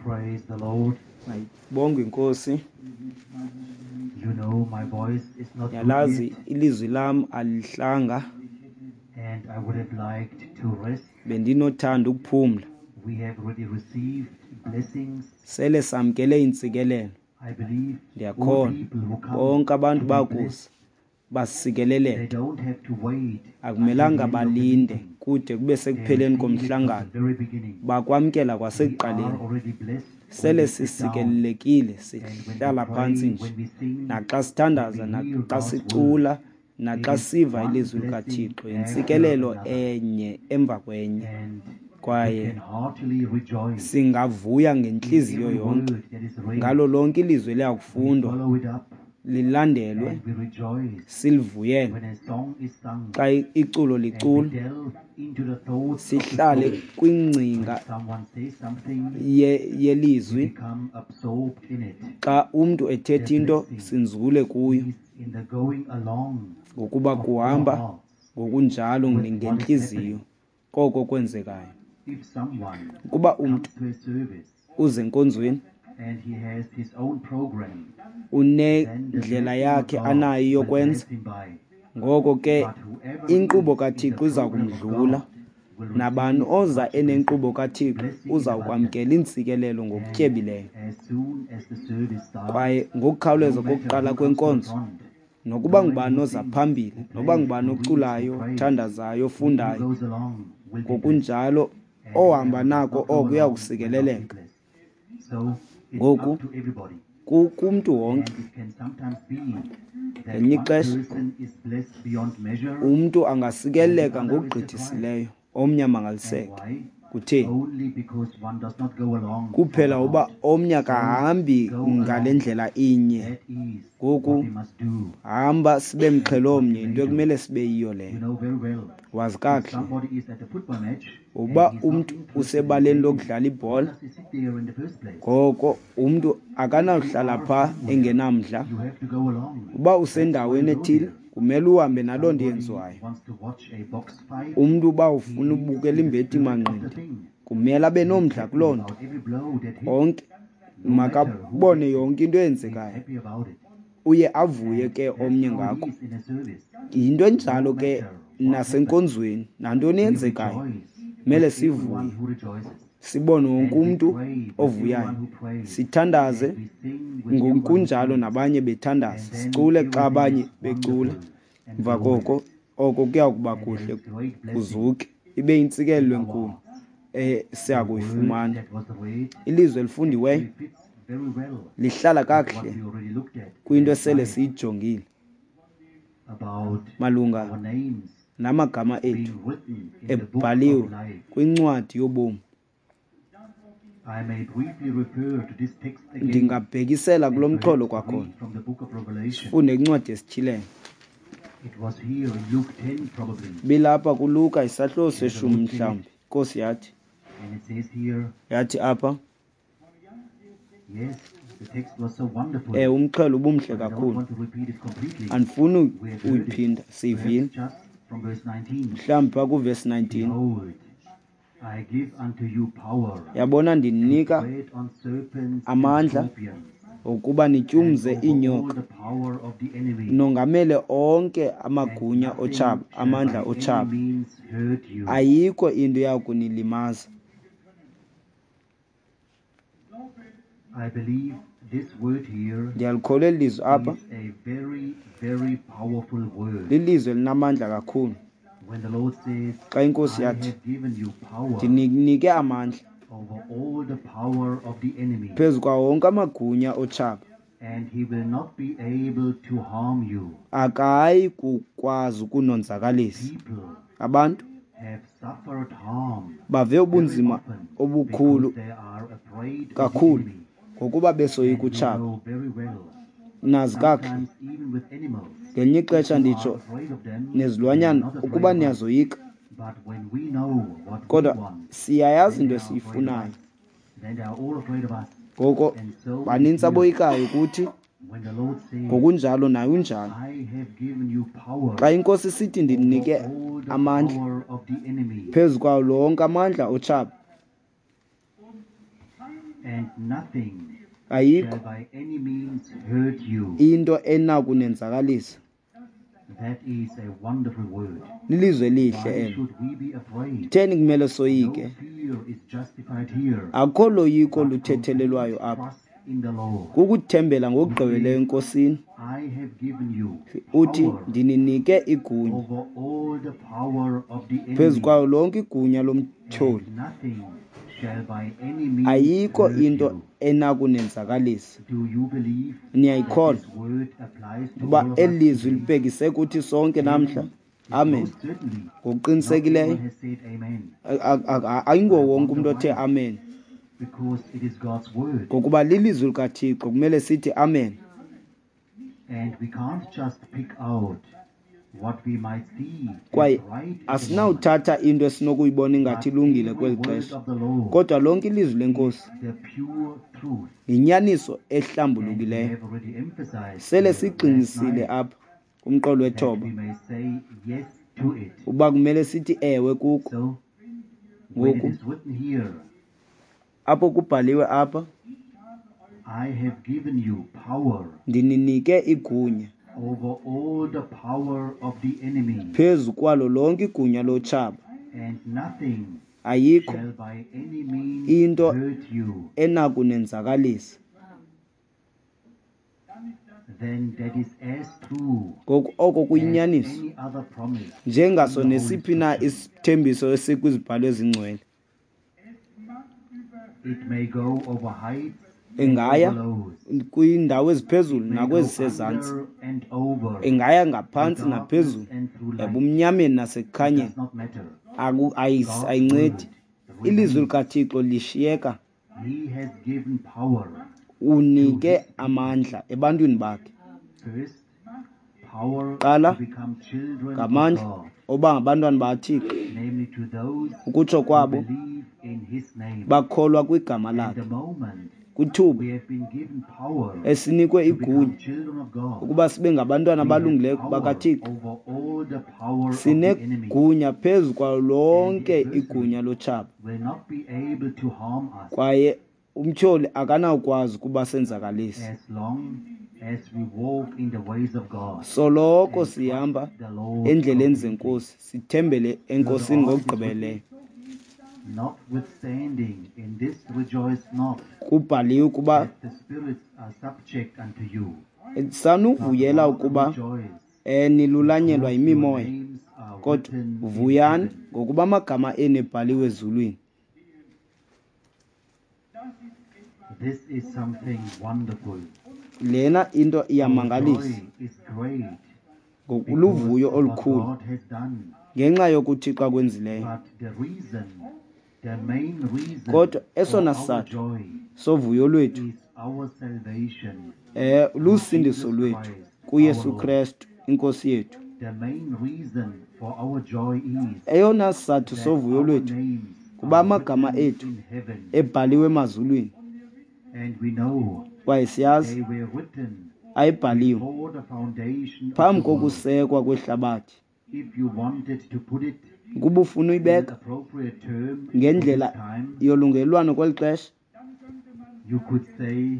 Praise the Lord. Mayibongwe inkosi. You know my voice is not good Yalazi yet, ilizwi lam alihlanga and I would have liked to rest. Bendinothanda ukuphumla. We have already received blessings. Sele samkele iintsikelelo. I believe all Ndiyakholwa people who come bonke abantu to be bakuza blessed, they basikeleleke. don't have to wait Akumelanga until the end of the balinde meeting. kude kube They sekupheleni receive it from the komhlangano. very beginning. Bakwamkela We are kwasekuqaleni. already blessed when Sele we sit down sisikelelekile and when we sihlala phantsi pray, nje. when we sing, Naxa when sithandaza, we hear naxa God's word. sicula, It naxa is siva one ilizwi blessing likaThixo, after yintsikelelo another. enye emva kwenye. And we Kwaye can heartily rejoice singavuya in ngentliziyo every yonke word that is read. ngalo lonke ilizwi We eliyakufundwa follow it up lilandelwe, and we rejoice silivuyele. when a song is sung Xa iculo and we liculwa, delve into the thoughts of the sihlale song. When kwingcinga someone says something, we yelizwi. become absorbed in it. Xa umntu The ethetha into, blessing sinzule kuyo, is in the going along ngokuba of our kuhamba hearts ngokunjalo with what is ngentliziyo happening. koko kwenzekayo. If someone Ukuba umntu comes to a service uze enkonzweni and he has his own program, then the unendlela blessing of yakhe God anayo will yokwenza, pass him by. ngoko ke But whoever inkqubo is in the kaThixo iza program of kumdlula. God will Nabani receive oza much blessing, enenkqubo kaThixo blessing in uza abundance. kwamkela iintsikelelo And ngokutyebileyo. as soon as the service starts, Kwaye no ngokukhawuleza matter kokuqala who comes to the kwenkonzo, front, nokuba no matter ngubani who oza sings, phambili, who noba plays, ngubani who reads, who oculayo, prays, othandazayo, he who ofundayo, goes along will be blessed. ngokunjalo And ohamba whoever does nako not go oko along will not be uyakusikeleleka. blessed. So it's Ngoku up to everybody. kumntu wonke. And it can sometimes be that Ngelinye one ixesha person is blessed beyond measure umntu and the angasikeleleka other is surprised. ngokugqithisileyo, omnye And amangaliseke. why? Kutheni? Only because one does not go along from Kuphela the uba heart. omnye So akahambi go ngale along. ndlela inye. That is what Ngoku we must do hamba sibe and what mxhelomnye, we yinto may do. ekumele sibe yiyo You leyo. know very well, Wazi if kakuhle somebody is at a football match and uba he's not umntu interested in usebaleni playing, lokudlala why ibhola, does he sit there in the first place? ngoko umntu If you akanawuhlala are phaa somewhere, engenamdla. you have to go along. Uba That's why usendaweni you go ethile, there. kumele uhambe If naloo nto somebody yenziwayo. wants to watch a box fight, Umntu uba he ufuna is ubukela in the imbeti spirit of the manqindi, thing. kumele abe He is nomdla happy kuloo nto. about every blow that hits, Onke no matter who makabone gets it. yonke into He is eyenzekayo, happy about it. uye avuye And ke that's omnye how it ngako. is in a service. Yinto No enjalo ke matter what happens, nasenkonzweni, nantoni we eyenzekayo rejoice kumele with everyone sivuye, who rejoices, sibone wonke and we umntu pray with ovuyayo, everyone who prays, sithandaze and we sing with everyone who ngokunjalo sings, nabanye bethandaza, and then sicule xa everything abanye is becula. wonderful and Emva koko glorious. oko kuya kuba And there kuhle is great blessing kuzuke, ibe yintsikelelo in our enkulu hearts. The esiya word kuyifumana. that was read Ilizwi elifundiweyo actually fits very well lihlala with what kakuhle we already looked at kwinto last esele night siyijongile about malunga our names namagama ethu being written in the book of ebhaliwe life. kwincwadi yobomi. I may briefly refer to this text again Ndingabhekisela kulo and mxholo perhaps kwakhona, read from the book of Revelation. sifunde kwincwadi yesiTyhilelo. It was here in Luke 10 probably. Bilapha kuLuka isahluko And the seshumi Lord said, mhlawumbi. Inkosi yathi, and it says here, yathi apha, yes, the text was so wonderful, umxhelo ubumhle but I don't kakhulu. want to repeat it completely. Andifuni We have heard it. uyiphinda, Perhaps siyivile. just from verse 19. Mhlawumbi phaa kuvesi 19. Behold, I give unto you power Yabona to ndininika tread on serpents and amandla scorpions, ukuba and nityumze over all iinyoka, the power of the enemy, nongamele onke and amagunya nothing otshaba, shall amandla by any otshaba. means hurt you. Ayikho into yakunilimaza. I believe this word here Ndiyalikholwa eli lizwi apha, is a very, very powerful word. lilizwi elinamandla kakhulu. When the Lord says, Xa inkosi I yathi, have given you power ndininike amandla over all the power of the enemy, phezu kwawo wonke amagunya otshaba, and he will not be able to harm you. akayi kukwazi ukunonzakalisa. People Abantu have suffered harm bave very ubunzima often obukhulu because they are afraid of the kakhulu enemy. ngokuba besoyika And we utshaba. know very well, Nazi kakuhle, sometimes even with animals, ngelinye if ixesha you are nditsho afraid of them, they are nezilwanyana, not afraid ukuba of us. niyazoyika, But when we know what we kodwa want, siyayazi then into they are afraid of esiyifunayo. us. Then they are all afraid of us. Ngoko And so it banintsi is here. aboyikayo kuthi, When the Lord says, ngokunjalo naye unjalo. I have given you power Xa inkosi isithi over ndinike all the amandla power of the enemy, phezu kwawo lonke amandla otshaba, And nothing Ayikho shall by any means hurt you. into enakunenzakalisa. That is a wonderful word. Lilizwe elihle Why elo. should we be afraid? Kutheni kumele No soyike? fear is justified here. Akukho loyiko But luthethelelwayo complete apha. trust in the Lord. Kukuthembela ngokugqibeleleyo eNkosini. I have given you Uthi power ndininike igunya over all the power of the phezu enemy, kwayo lonke igunya lomtyholi. and nothing shall by any means Ayikho hurt into you. enakunenzakalisa. Do you believe that Niyayikholwa this word applies to uba all of us eli lizwi today? libhekise kuthi sonke namhla? Amen. Most certainly, not Ngokuqinisekileyo everyone has said amen, ayinguwo wonke umntu othe amen, because it is God's word, ngokuba lilizwi likaThixo kumele sithi amen. and we can't just pick out what we might see as Kwaye right at the moment. asinawuthatha into esinokuyibona ingathi But ilungile every kweli word xesha, of the Lord kodwa lonke ilizwi lenkosi is the pure truth. yinyaniso And we ehlambulukileyo. have already emphasized Sele here last sigxinisile night apha kumqolo that wethoba we may say yes to it. uba kumele sithi ewe kuko. So, when it Ngoku is written here, apho kubhaliwe apha, I have given you power ndininike igunya over all the power of the enemy, phezu kwalo lonke igunya lotshaba, and nothing ayikho shall by any means into hurt you. enakunenzakalisa. Then that is as true Ngoku oko as kuyinyaniso any other promise in njengaso the Holy nesiphi na Scriptures. isithembiso esikwizibhalo ezingcwele. It may go over heights and Ingaya over lows. kwiindawo eziphezulu It may go nakwezisezantsi, under and over, ingaya through ngaphantsi darkness naphezulu, and through light. ebumnyameni It nasekukhanyeni. does not matter. God's Ayincedi. word Ilizwi remains. likaThixo lishiyeka. He has given power to Unike his people. amandla ebantwini bakhe. First, power Qala to become children of ngamandla God, oba ngabantwana bakaThixo, namely to those ukutsho who kwabo believe in his name. bakholwa kwigama And lakhe. the moment Kwithuba we have been given power esinikwe to become igunya children of God, ukuba sibe ngabantwana we have abalungileyo power bakaThixo, over all the power of the enemy, sinegunya phezu kwalo and the lonke adversary igunya lotshaba, will not be able to harm us kwaye umtyholi akanawukwazi ukuba senzakalise. as long as we walk in the ways of God Soloko and trust sihamba the Lord endleleni completely. zenkosi, sithembele Further enkosini on, it is written, ngokugqibeleleyo. notwithstanding, in this rejoice not, Kubhaliwe ukuba that the spirits are subject unto you, but sanuvuyela rather ukuba rejoice nilulanyelwa because your yimimoya, names are kodwa written in vuyani heaven. ngokuba amagama enu ebhaliwe ezulwini. This is something wonderful. Lena into Our iyamangalisa, joy is great because ngokuluvuyo of what olukhulu God has done. ngenxa yokuThixo akwenzileyo. But the reason, the main reason Kodwa for esona our sizathu joy sovuyo lwethu is our salvation through lusindiso Jesus lwethu Christ our kuYesu Lord. Krestu inkosi yethu. The main reason for our joy is Eyona sizathu that sovuyo our lwethu names kuba are amagama written ethu in heaven, ebhaliwe emazulwini, and we know kwaye siyazi they were written ayibhaliwe before the foundation of phambi the world. kokusekwa kwehlabathi. If you wanted to put it Ukuba ufuna in an uyibeka appropriate term for this ngendlela time, yolungelelwano kweli xesha, you could say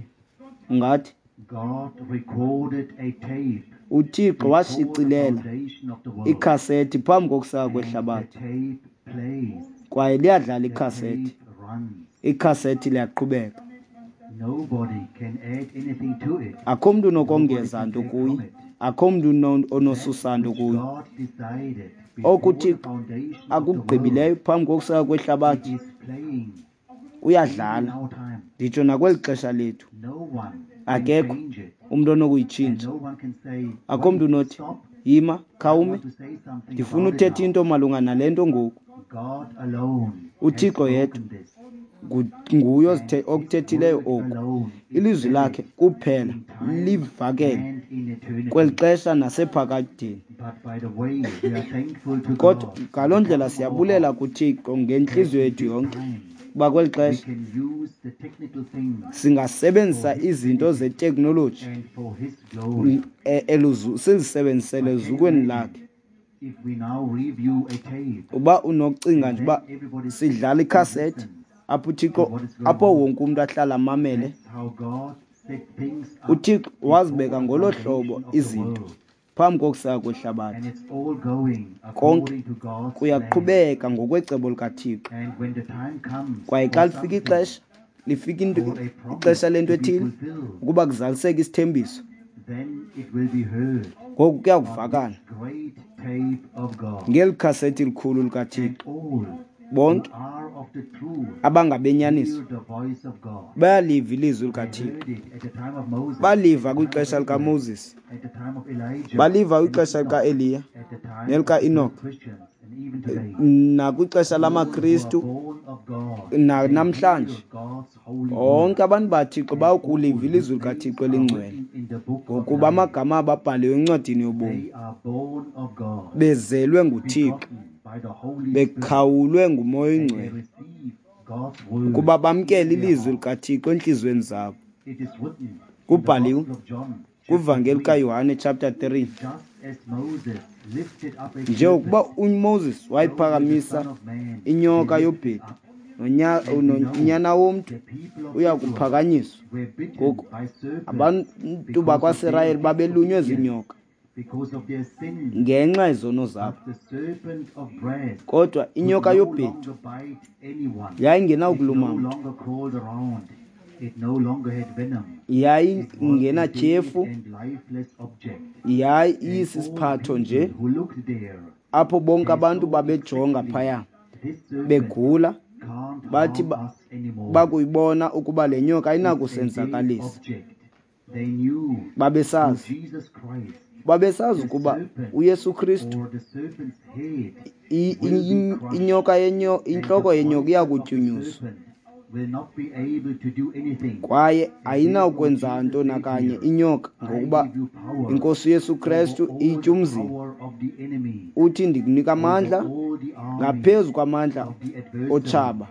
ungathi God recorded a tape uThixo before the washicilela foundation of the world, ikhasethi phambi kokuseka and the kwehlabathi, tape plays, kwaye liyadlala the ikhasethi, tape runs. ikhasethi liyaqhubeka. Nobody can add anything to it. Akho mntu Nobody unokongeza can nto take kuyo, from it. akho mntu That onosusa nto which kuyo. God decided before Oku the uThixo foundation of the akugqibileyo world, phambi kokuseka it kwehlabathi is playing even in kuyadlala, our time. nditsho nakweli xesha lethu. No one can Akekho change it. umntu And onokuyitshintsha. no one can say, Akho mntu wait, unothi stop, yima, I khawume, want to say something ndifuna about it uthetha now. into malunga nale nto ngoku. God alone has uThixo yedwa spoken this, nguye and his okuthethileyo word oku. alone is Ilizwi valid lakhe kuphela in time livakele and in kweli eternity. xesha nasephakadeni. But by the way, we are thankful to Kodwa God from ngaloo the ndlela bottom of our siyabulela heart kuThixo that ngentliziyo in yethu this yonke time kuba kweli we xesha can use the technical things for singasebenzisa His izinto benefit zeteknoloji and for His glory. sizisebenzisele But can you ezukweni imagine lakhe. if we now review a tape Uba unokucinga and nje uba then everybody sidlala sits and ikhasethi listens Apho uThixo to what is going apho on. wonke umntu ahlala amamele. That's how God set things up UThixo wazibeka before the ngolo hlobo foundation of the izinto world. phambi kokuseka And kwehlabathi. it's all going Konke according to God's plan. kuyaqhubeka ngokwecebo likaThixo. And when the time comes Kwaye for xa lifika something, ixesha, lifika into for a promise ixesha lento to be ethile fulfilled, ukuba kuzaliseke isithembiso, then it will be heard ngoku on kuyakuvakala this great tape of God. ngeli khasethi likhulu And likaThixo. all who Bonke are of the truth abangabenyaniso hear the voice of God. bayaliva ilizwi They likaThixo. heard it at the time of Moses, Baliva at the time of kwixesha Abraham, likaMoses, at the time of Elijah, baliva and kwixesha Enoch, likaEliya at the time of the nelikaEnoch, first Christians, and even today. nakwixesha All who are lamaKristu born of God, they namhlanje. hear God's holy Bonke word. abantu baThixo And all bayakuliva whose ilizwi names likaThixo are elingcwele, written in the book of ngokuba life, amagama abo abhaliwe encwadini yobomi, they are born of God, bezelwe nguThixo, begotten by the Holy Spirit, bekhawulwe nguMoya and they oyiNgcwele, receive God's word ukuba bamkele into their ilizwi heart. likaThixo entliziyweni zabo. It is written in the Kubhaliwe Gospel of John, chapter kwivangeli 3, kaYohane chapter 3, just as Moses lifted up a njengokuba serpent, uMoses so will the wayiphakamisa Son of Man be inyoka lifted yobhedu, up. And we know nonyana womntu the people of uya Israel kuphakanyiswa. were bitten Ngoku by serpents abantu because of their bakwaSirayeli babelunywe disobedience, ziinyoka because of their sins. ngenxa yezono zabo, But the serpent of brass kodwa could inyoka no yobhedu longer bite anyone. It no yayingenawukuluma mntu, longer crawled around. It no longer had venom. It was a dead yayingenatyhefu, and lifeless object. And all yayisisiphatho nje people who looked there, apho bonke they abantu saw babejonga exactly phaya this serpent begula, can't bathi harm us anymore. bakuyibona ukuba le nyoka It's a dead ayinakusenzakalisa. object. They knew through Babesazi, Jesus Christ, babesazi the ukuba serpent uYesu Kristu or the serpent's head will be crushed, inyoka yenyo and the intloko yenyoka iya poison of the kutyunyuzwa, serpent will not be able to do anything. kwaye And therefore ayinawukwenza Jesus nto said nakanye here, inyoka, I ngokuba give you power iNkosi uYesu over Kristu all the ityumzile. power of the enemy, Uthi ndikunika over amandla all the army ngaphezu kwamandla of the adversary, otshaba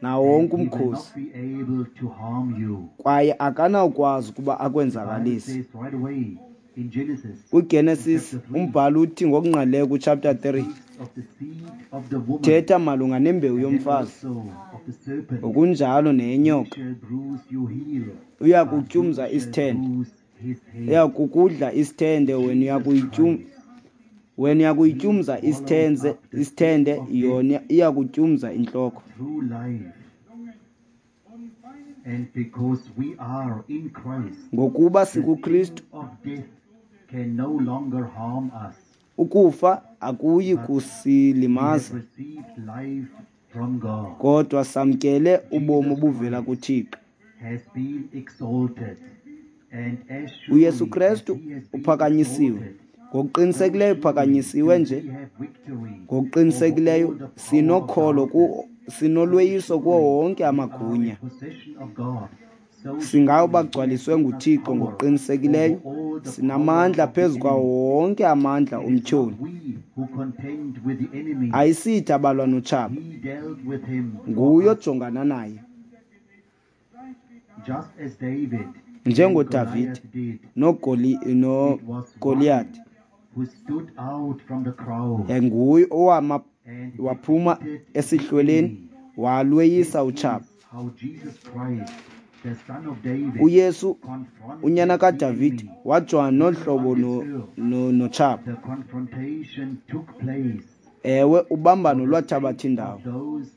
nawo and wonke he will not umkhosi, be able to harm you. kwaye akanawukwazi ukuba The Bible akwenzakalise. says right away in Genesis, in KwiGenesis chapter 3, umbhalo uthi ngokungqalileyo kuchapter 3, speaks of the seed of the woman thetha malunga nembewu and then yomfazi also of the serpent. ngokunjalo He neyenyoka. shall bruise your heel, Uya but you kutyumza shall isithende, bruise his uya head. kukudla isithende, wena uya Jesus kuyityum Christ, wena uya he kuyityumza swallowed isithenze up the stick isithende, of death yona iya kutyumza intloko. through life. And because we are in Christ, Ngokuba the sting sikuKristu, of death can no longer harm us. ukufa akuyi But we have kusilimaza, received life from God. kodwa samkele ubomi Jesus obuvela Christ kuThixo. has been exalted, and as uYesu surely as Kristu he has been uphakanyisiwe, exalted, so ngokuqinisekileyo surely uphakanyisiwe do nje, we have victory over ngokuqinisekileyo all the power of sinokholo darkness. ku sinolweyiso So kuwo surely wonke we are in amagunya. possession of God. So Singawo surely he has bagcwaliswe given us nguThixo power ngokuqinisekileyo, over all the power sinamandla of the phezu kwawo enemy. wonke amandla It is not omtyholi. we who contend with the enemy. Ayisithi abalwa notshaba, He dealt with him for nguye us. ojongana naye. Just as David and NjengoDavide Goliath did, it was one noGoliyati, who stood out from the crowd nguye owama and waphuma defeated the esihlweleni enemy. walweyisa This utshaba. is how Jesus Christ, the Son of David, uYesu unyana confronted the kaDavide enemy wajongana nolu here hlobo on this earth. notshaba. The confrontation took place Ewe, ubambano for the lwathabatha sake indawo of those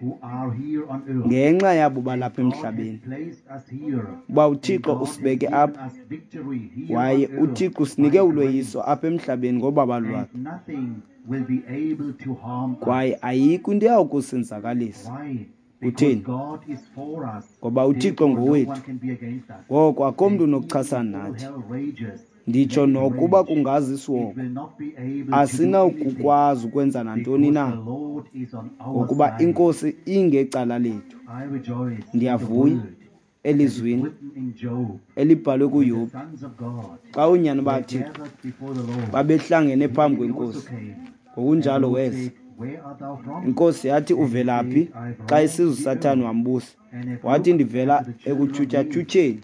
who are here on earth. ngenxa yabo And balapha God has emhlabeni. placed us here, Uba and uThixo God has usibeke given apha, us victory here kwaye on earth uThixo usinike by ulweyiso grace, apha emhlabeni ngobabalo and lwakhe, nothing will be able to harm us. kwaye ayikho into eyawukusenzakalisa. Why? Because Kutheni? God is for us, Ngoba uThixo therefore no ngowethu, one can be against us. ngoko akho mntu And even unokuchasana if all nathi. hell rages, Nditsho let it nokuba rage. kungazi It isihogo, will not be able to do anything asinawukukwazi ukwenza nantoni because na, the Lord is on our ngokuba side. iNkosi ingecala lethu. I rejoice in the Ndiyavuya word that is elizwini written in Job, elibhalwe when the kuYobhi, sons of God xa oonyana were baThixo gathered before the Lord, babehlangene the phambi enemy also kweNkosi. came. And the Ngokunjalo Lord weza. said, Where art thou from? Inkosi yathi, And he uvelaphi? said, I've Xa roamed isiza the uSathane earth wambusa, and have wathi, looked ndivela after the children of men. ekutyhutyha-tyhutyheni.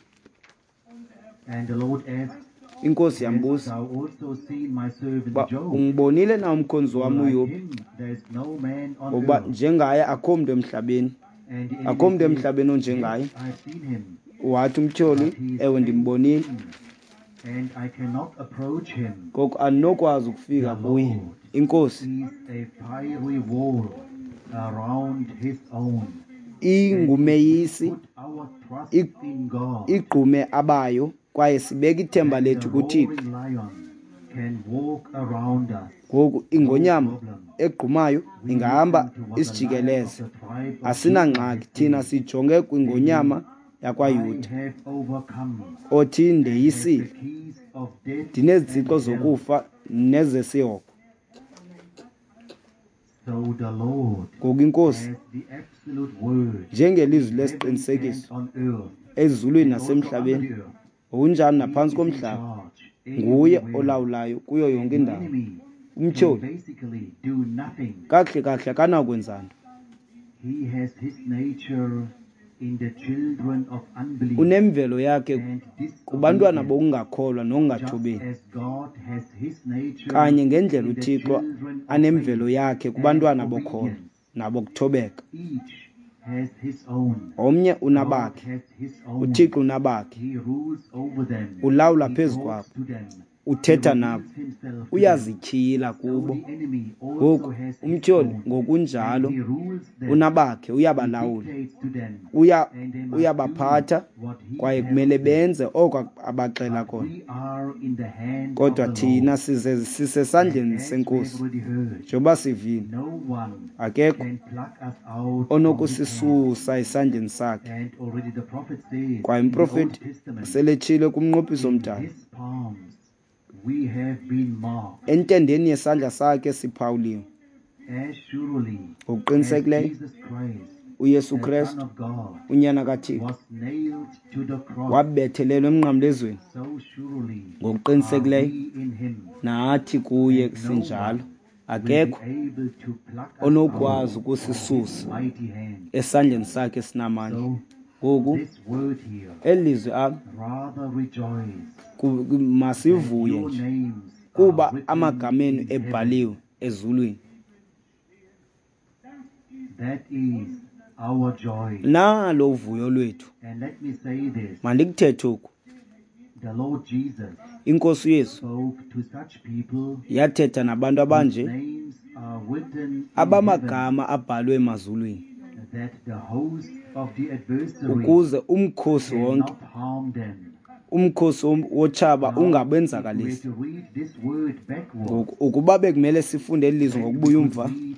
And the Lord asked, Inkosi Hast yambuza thou also seen my servant uba Job? ungibonile na umkhonzi For wam like uYobhi? him there is no man on Ngokuba earth. njengaye akho mntu emhlabeni. And the enemy Akho mntu said, emhlabeni onjengaye. "Yes, I've seen him, Wathi umtyholi, but he is ewe ndimbonile, fenced in, and I cannot approach him. Ngoku andinokwazi ukufika The kuye. Lord Inkosi is a fiery wall around his own. And if we ingumeyisi, put our trust in God, igqume abayo, kwaye sibeka ithemba then the lethu kuThixo. roaring lion can walk around us. Ngoku No ingonyama problem. egqumayo We ingahamba listen to what the lion of isijikeleze. the tribe of Judah Asinangxaki, has thina said, sijonge kwingonyama saying, I yakwaYuda, have overcome othi and have the ndeyisile, keys of death and ndinezitsixo hell. zokufa nezesihogo. So the Lord Ngoku inkosi, has the absolute word njengelizwi in heaven and lesiqinisekiso on earth ezulwini and also under nasemhlabeni, the earth. ngokunjalo He naphantsi is in komhlaba, charge nguye everywhere. olawulayo kuyo And yonke the indawo. enemy can Umtyholi basically do nothing. kakuhle kakuhle akanakwenza nto. He has his nature in the children of unbelief Unemvelo yakhe and kubantwana disobedience, bokungakholwa just nokungathobeli, as God has his nature kanye ngendlela in the uThixo children of anemvelo faith yakhe and kubantwana bokholo obedience. nabokuthobeka. Each has his own. Omnye God unabakhe, has his own. uThixo unabakhe, He rules over them. ulawula He phezu talks kwabo, to them. He uthetha nabo, reveals himself to them. uyazityhila So kubo. the enemy also Ngoku has his umtyholi own, and ngokunjalo he rules them. unabakhe, He uyabalawula, dictates to them, and they must do uyabaphatha, what he kwaye tells kumele them. benze oko abaxela But kona. we are in the hand of Kodwa the thina Lord. size And sisesandleni as we have senkosi, already heard, njengoba sivile, no one akekho can pluck us out from his hand. onokusisusa esandleni sakhe. And already the prophet says Kwaye in the Old umprofeti Testament, seletshile kumnqophiso in omdala, his palms we have been marked. entendeni yesandla sakhe siphawuliwe. As surely as Ngokuqinisekileyo Jesus Christ, uYesu the Son Krestu of God, unyana kaThixo was nailed to the cross, wabethelelwa emnqamlezweni, so surely are ngokuqinisekileyo we in him. nathi kuye And no sinjalo. one will be Akekho able to pluck us out onokwazi of his ukusisusa mighty hand. esandleni sakhe esinamandla. So Ngoku this word here, eli lizwi apha, rather rejoice that masivuye your nje names are kuba written amagama enu in heaven. ebhaliwe ezulwini. That is our joy. Nalo uvuyo lwethu. And let me say this, Mandikuthethe oku, the Lord Jesus inkosi uYesu spoke to such people yathetha nabantu whose abanje names are written in heaven, abamagama abhalwe emazulwini, that the host of the adversary ukuze umkhosi wonke, cannot harm them. umkhosi wotshaba Now, if we were ungabenzakalisi. to read this word backwards, Ngoku ukuba bekumele sifunde eli lizwi then we ngokubuya could umva, read,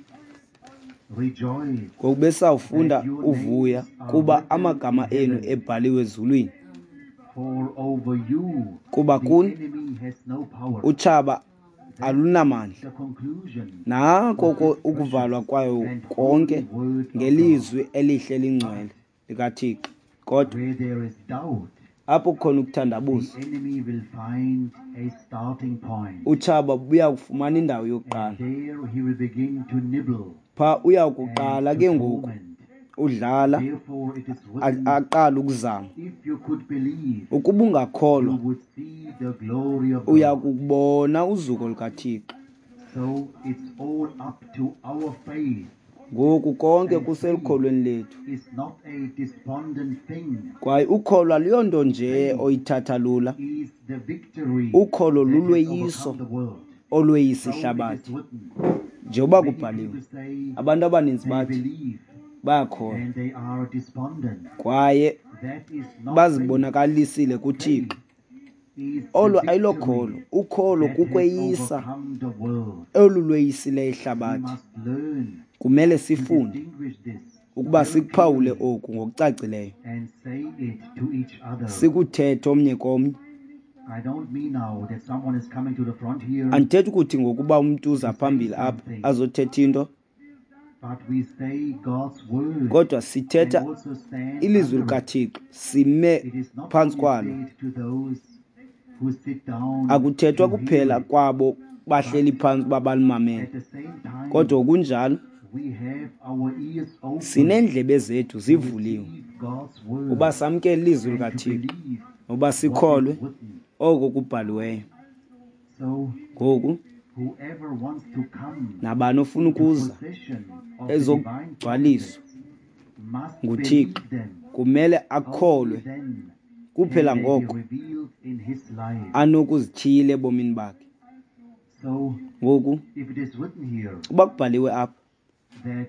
rejoice ngoku besawufunda that your uvuya names are kuba written amagama in enu heaven. ebhaliwe ezulwini, For over you kuba the kuni enemy has no power. utshaba That's alunamandla. the conclusion Nako of this ukuvalwa precious kwayo and konke holy word of God. ngelizwi elihle lingcwele But likaThixo. Kodwa where there is doubt, apho kukhona the ukuthandabuza, enemy will find a starting point. utshaba buya kufumana indawo And yokuqala. there he will begin to nibble Phaa uya and kuqala to ke ngoku torment. udlala, Therefore it is written, aqale ukuzama. if you could believe, Ukuba you ungakholwa, would see the glory of uya God. kubona uzuko lukaThixo. So it's all up to our faith. Ngoku konke And faith kuselukholweni lethu. is not a despondent thing. Kwaye ukholo aluyonto nje Faith oyithatha lula. is the victory Ukholo that has lulweyiso overcome the world. olweyisa So it is ihlabathi. written. Njengoba Many kubhaliwe, people say abantu abaninzi they bathi believe bayakholwa and they are despondent. kwaye That is not faith. bazibonakalisile kuThixo. Faith is the Olo victory ayilokholo, ukholo that has kukweyisa overcome the world. olu lweyisileyo We ihlabathi. must learn Kumele to sifunde distinguish this ukuba very sikuphawule clearly oku ngokucacileyo, and say it to each other. sikuthethe omnye komnye. I don't mean now that someone is coming to the front here Andithethi ukuthi ngokuba umntu uza to say phambili apha something, azothetha into, but we say God's word kodwa and sithetha also stand ilizwi under it. likaThixo, sime It is not phantsi only kwalo. said to those who sit down Akuthethwa to hear kuphela it, kwabo bahleli but phantsi uba balimamele, at the same time kodwa ngokunjalo we have our ears open sineendlebe zethu to zivuliwe receive God's uba word samkele ilizwi and to likaThixo believe noba what is sikholwe written. oko kubhaliweyo. So Ngoku whoever wants to come nabani ofuna into ukuza possession of the divine ezokugcwaliswa promises must nguThixo believe them. Kumele Only akholwe then kuphela can they be ngoko revealed in his life. anokuzityhila ebomini bakhe. So, Ngoku if it is written here uba kubhaliwe apha that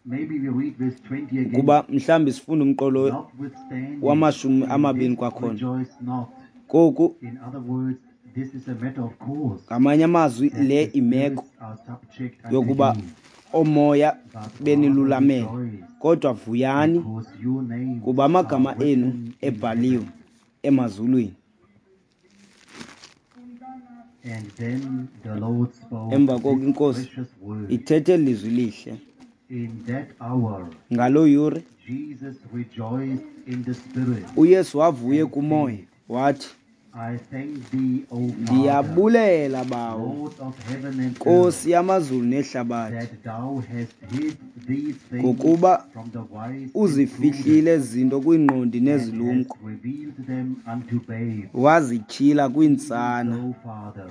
maybe we read verse 20 again, kuba mhlawumbi sifunda umqolo notwithstanding, wamashumi in amabini this kwakhona. rejoice not. Koku In other words, this is a matter of course ngamanye amazwi that le the imeko spirits are subject unto yokuba you, oomoya but rather benilulamele rejoice kodwa vuyani because your names kuba amagama are enu written in ebhaliwe heaven. emazulwini. And then the Lord spoke Emva koko this iNkosi precious word. ithethe lizwi lihle. In that hour, Ngaloo yure Jesus rejoiced in the Spirit. uYesu wavuye kumoya wathi, I thank thee, O Father, Ndiyabulela Bawo, Lord of heaven and earth, Nkosi yamazulu nehlabathi, that thou hast hid these things ngokuba from the wise and prudent, uzifihlile ezi zinto kwiingqondi and nezilumko, hast revealed them unto babes. wazityhila kwiintsana. So, Father,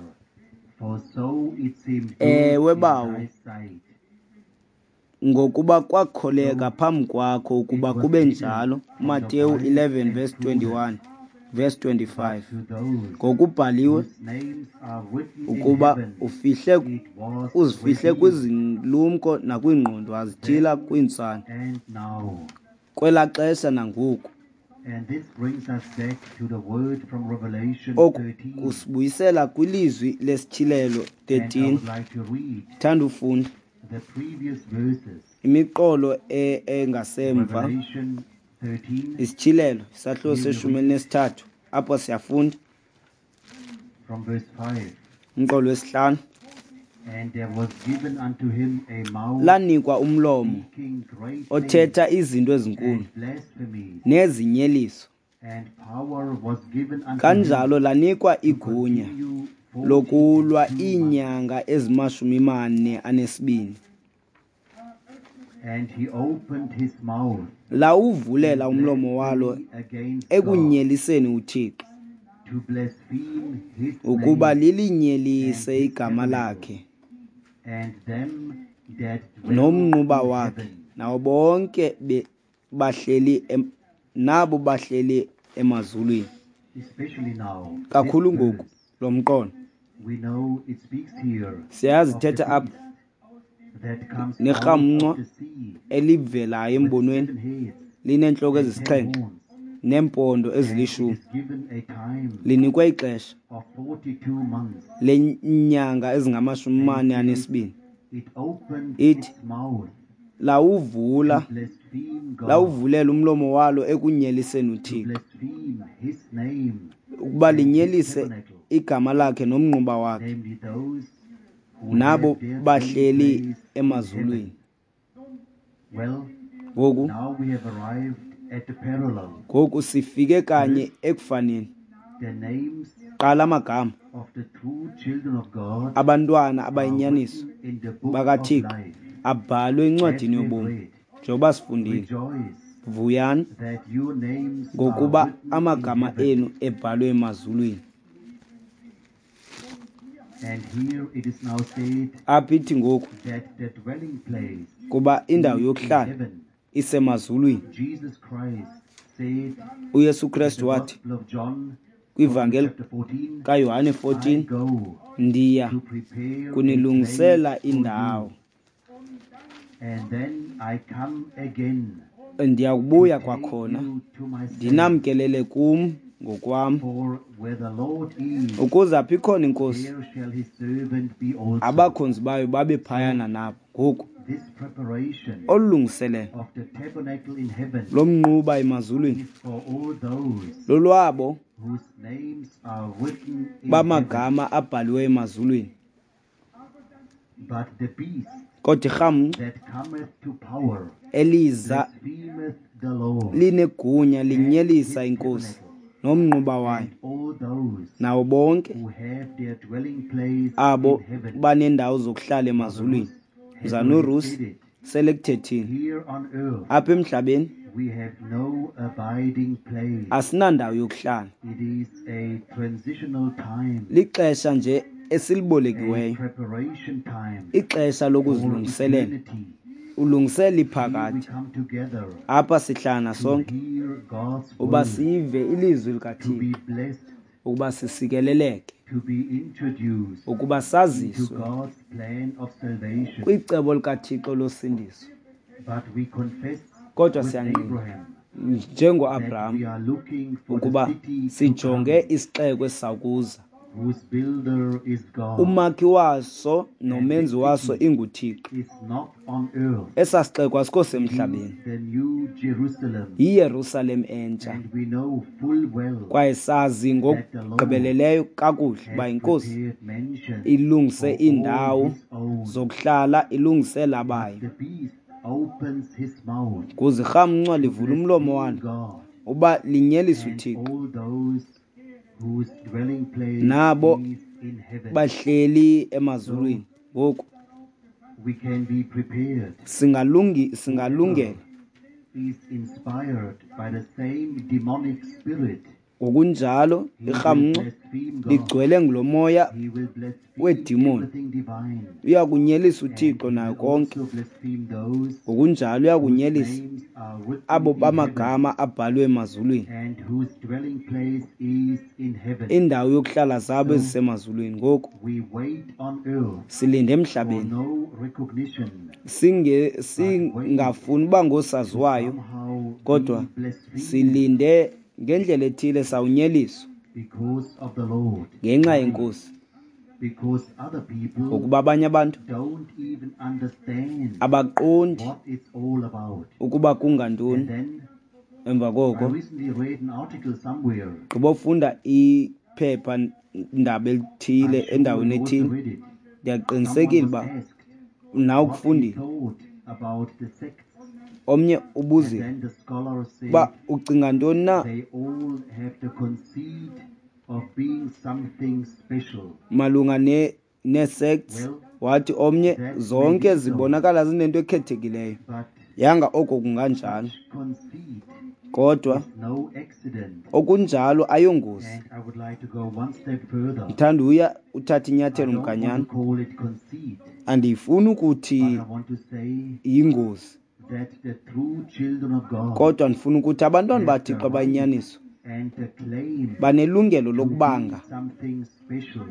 for so it seemed good Ewe in Bawo, thy sight. ngokuba kwakholeka phambi kwakho ukuba It was kube hidden njalo. from the Mateyu wise 11 and verse prudent, 21 verse 25. but to those Ngokubhaliwe whose names are written in ukuba heaven, ufihle it was uzifihle revealed. kwizilumko nakwiingqondo wazityhila kwiintsana. And now, Kwelaa xesha nangoku. and this brings us back to the word from Revelation Oku 13. kusibuyisela kwilizwi lesityhilelo And I 13. would like to read Thanda ufunda the previous verses. imiqolo engasemva. Revelation 13 Isityhilelo isahluko Here we seshumi read elinesithathu apho siyafunda from verse 5. umqolo wesihlanu. And there was given unto him a mouth Lanikwa umlomo speaking great things othetha izinto ezinkulu and blasphemies, nezinyeliso. and power was given unto him Kanjalo lanikwa to igunya continue lokulwa 42 months. iinyanga ezimashumi mane anesibini. And he opened his mouth Lawuvulela in umlomo walo blasphemy against God, ekunyeliseni uThixo, to blaspheme his ukuba name lilinyelise and his igama tabernacle, lakhe and them that dwell nomnquba in wakhe, heaven. nabo bonke bahleli nabo bahleli emazulwini. Especially now, this Kakhulu ngoku verse, lo mqolo we know it speaks here siyazi of the ithetha apha beast that comes out nerhamncwa of the sea elivelayo with embonweni 7 heads lineentloko and 10 ezisixhenxe horns, neempondo and it ezilishumi. is given a time Linikwe ixesha of 42 months. lenyanga ezingamashumi And mane it, anesibini. it opened Ithi its mouth lawuvula to blaspheme God, lawuvulela umlomo walo ekunyeliseni to uThixo, blaspheme his name ukuba and his linyelise tabernacle, igama lakhe nomnquba wakhe, namely those who nabo have their dwelling bahleli place in heaven. emazulwini. Well, Ngoku now we have arrived at the parallel. ngoku sifike kanye First, ekufaneni. the names Qala amagama of the true children of God abantwana are abayinyaniso written in the book of bakaThixo life. abhalwe As encwadini we yobomi. read, Njengoba sifundile, rejoice vuyani that your names are ngokuba written in amagama heaven. enu ebhalwe emazulwini. And here it is now said Apha ithi ngoku that the dwelling place kuba indawo is in yokuhlala heaven. isemazulwini. Jesus Christ said uYesu in the Kristu wathi Gospel of John, from kwivangeli chapter 14, kaYohane I 14, go ndiya to prepare a place kunilungisela for you, indawo, and then I come again ndiya to kubuya take kwakhona you to myself. ndinamkelele kum ngokwam, For where the Lord is, ukuze apho ikhona iNkosi there shall his servant be also. abakhonzi bayo babe phayana nabo. Ngoku This preparation olu lungiselelo of the tabernacle in heaven lomnquba emazulwini is for all those lolwabo whose names are written in heaven. bamagama abhaliwe emazulwini. But the beast Kodwa irhamncwa that cometh to power eliza blasphemeth the Lord linegunya and linyelisa his iNkosi tabernacle, nomnquba wayo, and all those nawo bonke who have their dwelling place abo in heaven. banendawo zokuhlala Brother emazulwini. Ruth has already Mzana uRusi said it. sele kuthethile. Here on earth Apha emhlabeni we have no abiding place. asinandawo yokuhlala. It is a transitional time, Lixesha nje a esilibolekiweyo, preparation time ixesha for lokuzilungiselela eternity. Ulungisela Here we iphakade. come together Apha sihlangana to sonke hear God's uba word, sive ilizwi to likaThixo, be blessed, ukuba sisikeleleke, to be introduced ukuba into saziswe God's plan of salvation. kwicebo likaThixo losindiso. But we confess Kodwa with siyangqina Abraham that njengoAbraham we are looking for the ukuba city to sijonge come, isixeko esisakuza, whose builder is God. umakhi waso And the nomenzi waso city inguThixo. is not on earth. Esaa sixeko asikho It is semhlabeni, the new Jerusalem. yiYerusalem entsha. And we know full well Kwaye sazi that the Lord ngokugqibeleleyo kakuhle uba has iNkosi prepared mansions ilungise for all iindawo his own. zokuhlala, ilungisela But abayo. the beast opens his mouth Kuze irhamncwa to livule umlomo blaspheme walo God uba linyelise and uThixo all those whose dwelling place nabo is in heaven. bahleli So emazulwini. Ngoku we can be prepared. singalungela Whoever is inspired by the same demonic spirit, Ngokunjalo he will irhamncwa blaspheme God. ligcwele ngulo moya He will blaspheme weedimoni, everything divine. uya kunyelisa And uThixo he nayo will konke. also blaspheme those Ngokunjalo uya whose kunyelisa names are written abo in heaven bamagama abhalwe emazulwini, and whose dwelling place is in heaven. indawo yokuhlala zabo So ezisemazulwini. Ngoku we wait on earth silinde for emhlabeni, no recognition, but wait singafuni uba to ngoosaziwayo, somehow kodwa be blasphemed silinde ngendlela ethile sawunyeliswa because of the Lord. ngenxa Why? yeNkosi, Because other people ngokuba abanye abantu don't even understand abaqondi what it's all about. ukuba And kungantoni. then Emva I koko recently read an article somewhere. gqibofunda iphepha ndaba elithile I'm sure endaweni you also ethile, read it. Someone ndiyaqinisekile was uba asked nawe what he ukufundile. thought about the sects. Omnye And ubuzile then the scholar said uba ucinga ntoni na they all have the conceit of being something special. malunga nee-sects. Well, Wathi omnye that may zonke be so, zibonakala zinento ekhethekileyo. but Yanga oko kunganjalo, such conceit kodwa is no accident. okunjalo ayongozi. And I would like to go one step further. Ndithanda uya uthatha I inyathelo don't want to mganyana. call it conceit, Andiyifuni but ukuthi I want to say yingozi, that the true children of God kodwa ndifuna ukuthi abantwana have the baThixo right abayinyaniso and the claim banelungelo to be lokubanga something special,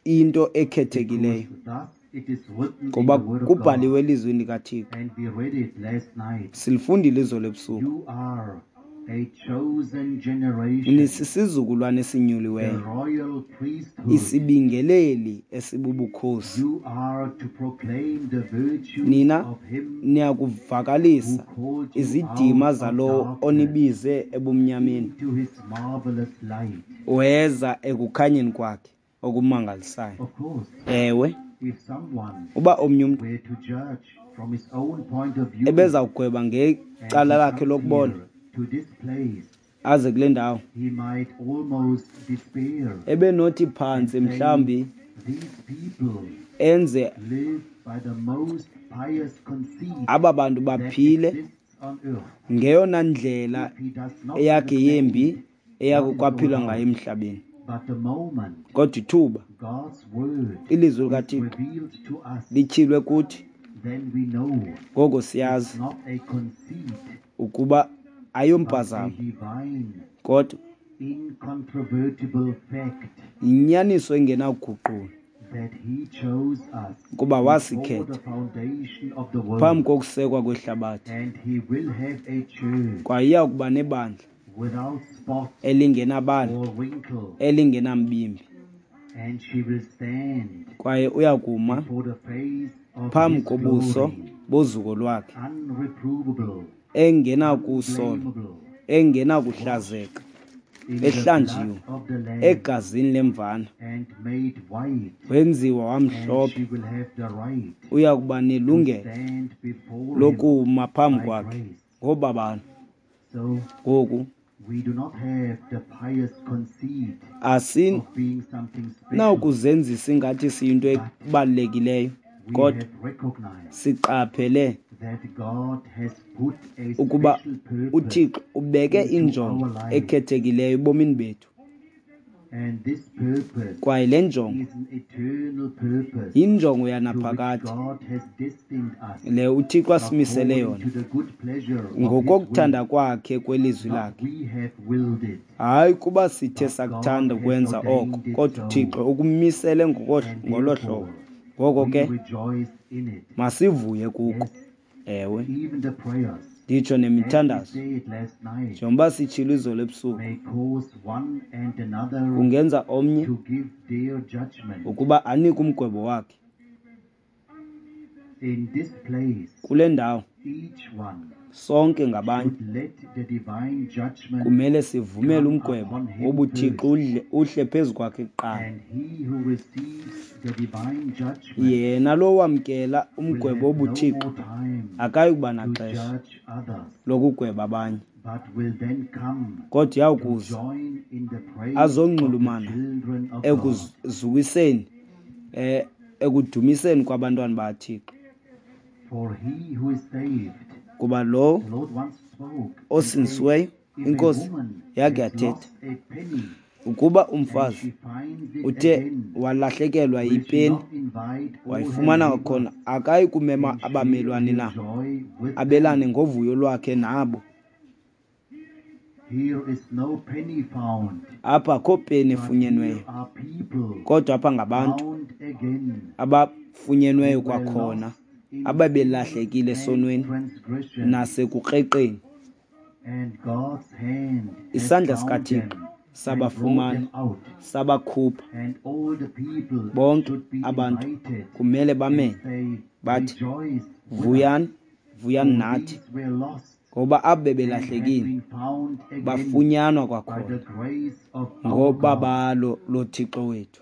into ekhethekileyo, because thus it is written in ngoba the Word of God. kubhaliwe elizwini likaThixo. And we read it last night. Silifundile izolo ebusuku. You are a chosen generation, Nisisizukulwane the esinyuliweyo, royal priesthood. isibingeleli esibubukhosi. You are to proclaim the virtues Nina of him who niyakuvakalisa called you izidima out of zalowo darkness onibize ebumnyameni into his marvelous light. weza ekukhanyeni kwakhe okumangalisayo. Of course, Ewe, if someone uba omnye umntu were to judge from his own point of view ebezawugweba and ngecala he lakhe comes lokubona here to this place, aze kule ndawo, he might almost despair ebenothi and phantsi say, mhlawumbi these people enze live by the most pious conceit aba bantu that baphile exists on earth. ngeyona ndlela If he does not eyakhe yembi understand eyakhe what it's all kwaphilwa ngayo about, emhlabeni. but the moment Kodwa ithuba God's word ilizwi is likaThixo revealed to us, lityhilwe kuthi, then we know ngoko it's siyazi not a conceit, ukuba but a ayompazamo, divine, kodwa incontrovertible fact yinyaniso engenakuguqulwa that he chose us kuba before wasikhetha the foundation of the phambi world, kokusekwa kwehlabathi. and he will have a church Kwaye iya kuba nebandla without spot elingenabala, or wrinkle, elingenambimbi, and she will stand kwaye uya kuma before the face of phambi his kobuso glory, bozuko lwakhe, unreprovable, engenakusolwa, unblameable, engenakuhlazeka, in the ehlanjiwe blood of the Lamb egazini lemvana, and made white, wenziwa and wamhlophe. she will have the right Uya kuba to nelungelo stand before him lokuma phambi by kwakhe grace. ngobabalo. So Ngoku we do not have the pious conceit of being something special, asinawukuzenzisa ingathi siyinto but ebalulekileyo, we kodwa have recognized siqaphele that God has put a ukuba special purpose uThixo ubeke into injongo our lives. ekhethekileyo ebomini bethu. And this purpose Kwaye le njongo is an eternal purpose yinjongo to which yanaphakade God has destined us le uThixo asimisele according yona to the good pleasure of His ngokokuthanda will. kwakhe kwelizwi Not lakhe. we have willed it, Hayi kuba sithe but sakuthanda God has ukwenza oko, ordained it kodwa so, uThixo ukumisele and ngolo hlobo. therefore Ngoko we ke rejoice in it. masivuye kuko. Yes, Ewe, even the prayers, nditsho as we nemithandazo, said last night, njengoba sitshilo izolo ebusuku, may cause one and another kungenza omnye to give their judgment. ukuba anike umgwebo wakhe. In this place, Kule ndawo each one sonke ngabanye should let the divine judgment kumele sivumele come umgwebo upon him wobuthixo first. uhle phezu kwakhe kuqala. And he who receives the divine judgment Yena lo wamkela will umgwebo have no wobuthixo more time akayi kuba to naxesha judge others, lokugweba abanye, but will then come kodwa to uyawukuza join in the praise of the azonxulumana children of God. ekuzukiseni ekudumiseni kwabantwana bakaThixo. For he who is saved, Kuba lo the Lord once spoke and said, osindisiweyo, if a iNkosi woman yakhe has yathetha lost a penny ukuba and umfazi she finds it uthe again, walahlekelwa will she yipeni not invite all her wayifumana neighbors kwakhona, akayi kumema and share abamelwane her na joy with abelane them? ngovuyo lwakhe nabo? Here is no penny found, Apha akho peni but here efunyenweyo, are people kodwa apha ngabantu found again abafunyenweyo who were kwakhona, lost in sin ababelahlekile and esonweni transgression, nasekukreqeni. and God's hand has Isandla found sikaThixo them and brought sabafumana, them out. sabakhupha. And all the people Bonke should be abantu invited kumele and bamenywe say, bathi, Rejoice with us, vuyani, vuyani for nathi, these were lost ngoba abo and have bebelahlekile been found again bafunyanwa by the kwakhona grace of our God. ngobabalo loThixo wethu.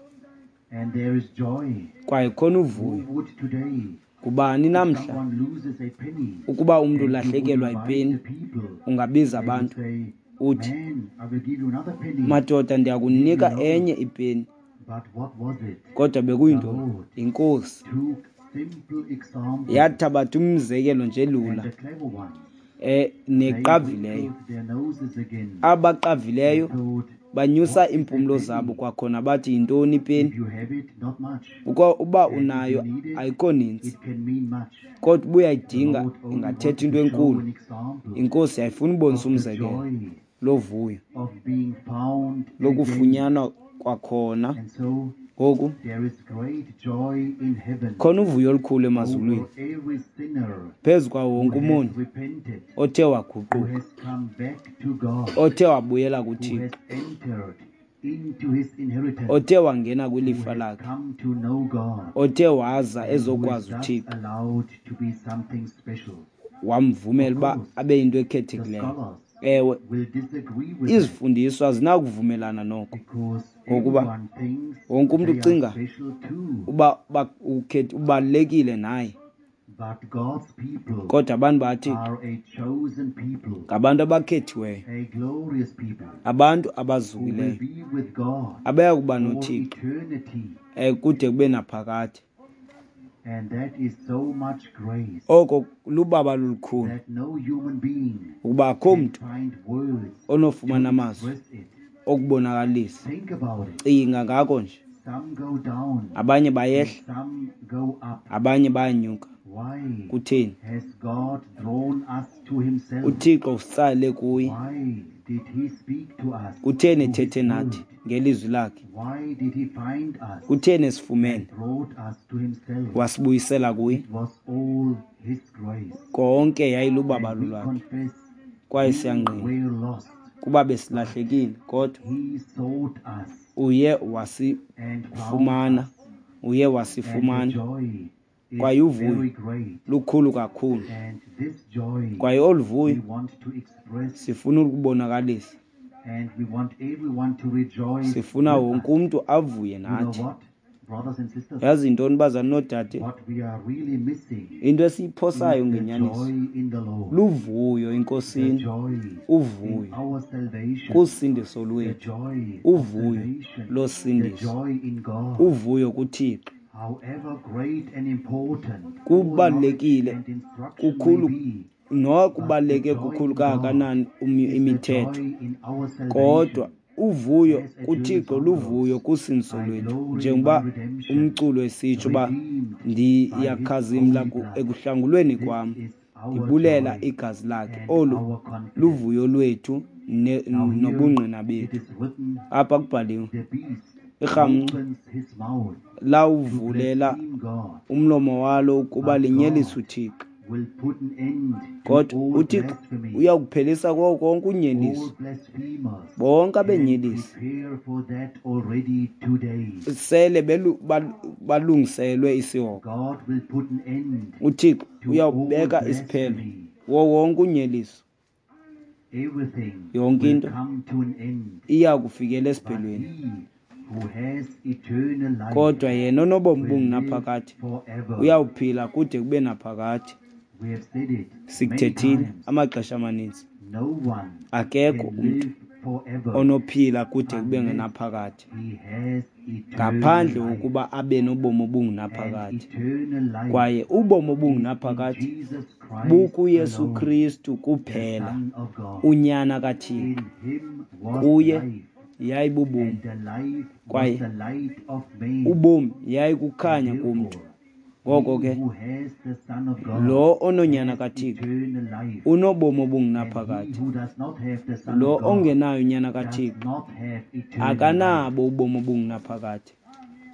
And there is joy. Kwaye khona Who uvuyo. would today, Kubani if namhla someone loses a penny, ukuba umntu and you would ulahlekelwa invite yipeni, the people, ungabiza they would abantu say, uthi, Man, I will give you another penny. madoda, Leave me ndiyakunika alone. enye ipeni. But what was it? Kodwa The bekuyintoni? Lord INkosi took simple examples, yathabatha umzekelo nje and lula the clever ones, they neqavileyo. wrinkled their noses again and Abaqavileyo thought, banyusa What is a iimpumlo zabo penny? kwakhona bathi, yintoni If ipeni? you have it, not much. Uba And if you unayo need it, ayikho ninzi, it can mean much. kodwa uba The uyayidinga Lord only ingathetha wanted into to show enkulu. an example INkosi yayifuna ubonisa of the umzekelo joy lovuyo of being found again. lokufunyanwa kwakhona. And so Ngoku there is great joy in heaven khona uvuyo olukhulu emazulwini over every sinner phezu kwawo who wonke has umoni repented, othe who waguquka, has come back to God, othe wabuyela who kuThixo, has entered into his inheritance, othe wangena who kwilifa has lakhe, come to know God, othe waza and who is ezokwazi thus uThixo, allowed to be something special. wamvumela Of uba course, abe yinto the ekhethekileyo. scholars Ewe, will disagree with that izifundiswa azinakuvumelana noko, because ngokuba everyone thinks wonke umntu they are ucinga special too. uba ubalulekile naye. But God's people Kodwa abantu baThixo are a chosen people, ngabantu abakhethiweyo, a glorious people abantu who will abazukileyo, be with God abaya kuba for noThixo eternity. kude kube naphakade. And that is so much grace Oko lubaba lolukhulu that no human being ukuba akho can mntu find words to onofumana amazwi express it. okubonakalisa. Think about it. Cinga ngako nje. Some go down Abanye and bayehla, some go up. abanye bayanyuka. Why Kutheni? has God drawn us to himself? uThixo usitsale kuye. Why did he speak to us Kutheni through his ethethe nathi word? ngelizwi lakhe? Why did he find us Kutheni esifumene and brought us to himself? wasibuyisela kuye? It was all his grace. Konke yayilubabalo And we lwakhe. confess Kwaye we siyangqina were lost. kuba besilahlekile, kodwa He sought us uye and found wasifumana, us. uye And the wasifumana. joy is Kwaye uvuyo very great. lukhulu kakhulu. And this joy Kwaye olu we vuyo want to express, sifuna ukubonakalisa, and we want everyone to rejoice sifuna with wonke us. umntu avuye You know nathi. what, brothers and sisters, Yazi yintoni bazali noodade? what we are really missing Into is esiyiphosayo the ngenyaniso joy in the Lord, luvuyo the eNkosini, joy in uvuyo our salvation, kusindiso the lwethu, joy of uvuyo salvation, the losindiso, joy in God. uvuyo kuThixo. However great and important all knowledge Kubalulekile and instruction may kukhulu be, but the nokubaluleke joy kukhulu in God kangakanani is the imithetho, joy in our kodwa salvation. Uvuyo as a kuThixo Jewish luvuyo goes, kusindiso I lwethu, glory in njengoba my redemption, umculo esitsho uba redeemed by his ndiyakhazimla holy blood. ekuhlangulweni This kwam, is our ndibulela joy igazi lakhe. and Olu our confidence. luvuyo lwethu Now here nobungqina it bethu. is written, Apha kubhaliwe, the beast irhamncwa opens his mouth to lawuvulela blaspheme God, umlomo walo ukuba but linyelise God uThixo. will put an end to Kodwa all uThixo blasphemy, uyawuphelisa kuwo konke unyeliso, all blasphemers, bonke and abenyelisi prepare for that already today. sele balungiselwe isihogo. God will put an end uThixo to all uyawubeka isiphelo blasphemy. wo wonke unyeliso. Everything Yonke will into come to an end. iya kufikela But esiphelweni. he who has eternal life Kodwa yena onobomi will live bungunaphakade forever. uyawuphila kude kube naphakade. We have said it many Sikuthethile times. amaxesha amaninzi, No one akekho can umntu live forever onophila kude kube unless ngenaphakade he has eternal ngaphandle life. kokuba abe nobomi And obungunaphakade. eternal life Kwaye ubomi is in obungunaphakade Jesus Christ bukuYesu alone, Kristu the kuphela, Son of God. uNyana kaThixo. In him was Kuye life, yayibubomi, and the life was kwaye the light of men. ubomi And yayikukhanya kumntu. therefore, Ngoko he ke who has the Son of God lo ononyana has kaThixo eternal life. unobomi And he obungunaphakade. who does not have the Son Lo of God ongenayo unyana does kaThixo not have eternal life. akanabo ubomi obungunaphakade.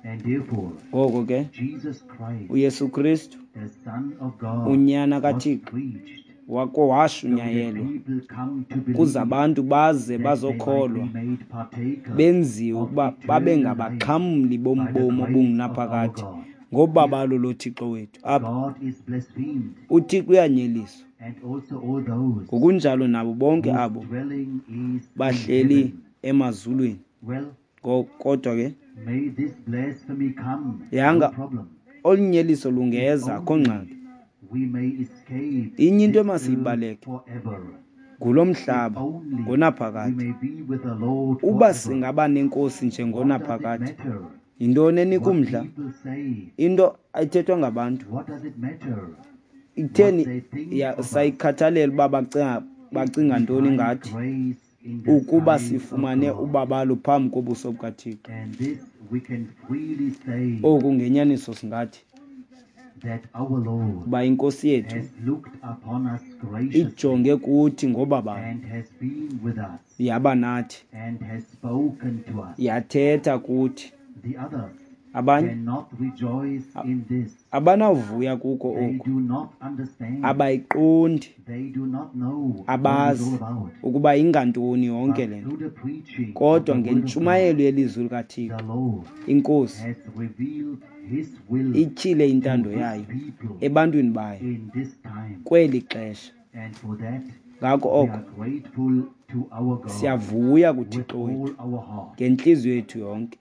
And therefore, Ngoko ke Jesus Christ, uYesu Kristu the Son of God, unyana was kaThixo preached wako so that washunyayelwa people come to kuze believe abantu baze that they might bazokholwa, be made partakers benziwe of ukuba babe eternal life ngabaxhamli by the bombomi grace of our obungunaphakade God. ngobabalo loThixo wethu. Apha God is blasphemed, uThixo uyanyeliswa, and also all those ngokunjalo nabo bonke whose abo dwelling is in bahleli heaven. emazulwini. Well, Kodwa ke may this blasphemy come, no yanga problem. olu nyeliso If lungeza, akho only ngxaki. we may escape Inye into this earth emasiyibaleke forever. ngulo If mhlaba only we ngonaphakade. may be with the Lord Uba forever. singaba nenkosi What does it njengonaphakade, matter yintoni enika what umdla? people say? Into ayithethwa ngabantu What does it matter what ikutheni they think of us? sayikhathalela uba If bacinga we ntoni find ngathi, grace in the ukuba sight of sifumane God. ubabalo phambi kobuso bukaThixo. And this we can freely say Oku ngenyaniso singathi that our Lord uba inkosi yethu has looked upon us graciously ijonge kuthi ngobabalo, and has been with us yaba nathi, and has spoken to us. yathetha kuthi. The others Abanye cannot rejoice in this. abanavuya kuko They oku, do not understand. abayiqondi, They do not know what it's all abazi about. ukuba ingantoni yonke But le nto. through the preaching of Kodwa the Word of God, ngentshumayelo yelizwi likaThixo, the Lord inkosi has revealed His will ityhile to intando His yayo people ebantwini bayo in this time. kweli xesha. And for that, Ngako we oko are grateful to our God siyavuya with kuThixo wethu all our heart. ngentliziyo yethu yonke.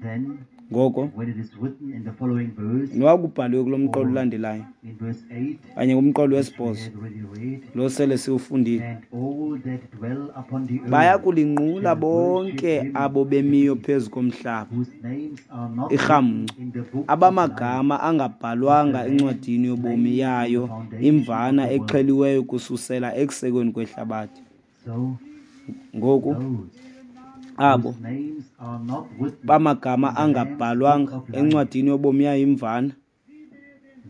Then, Ngoko when it is written in the following verse, noba kubhaliwe kulo mqolo or ulandelayo in verse 8, kanye kumqolo which we wesibhozo had already read, lo sele siwufundile, and all that dwell upon the baya earth kulinqula shall worship bonke him, abo the bemiyo beast, phezu komhlaba, whose names are not written irhamncwa, in the book of life abamagama of the angabhalwanga Lamb encwadini yobomi slain from the yayo foundation of imvana the world. exheliweyo kususela ekusekweni kwehlabathi. So Ngoku those abo whose names are not written bamagama in the Lamb's book angabhalwanga of life, encwadini yobomi yayo imvana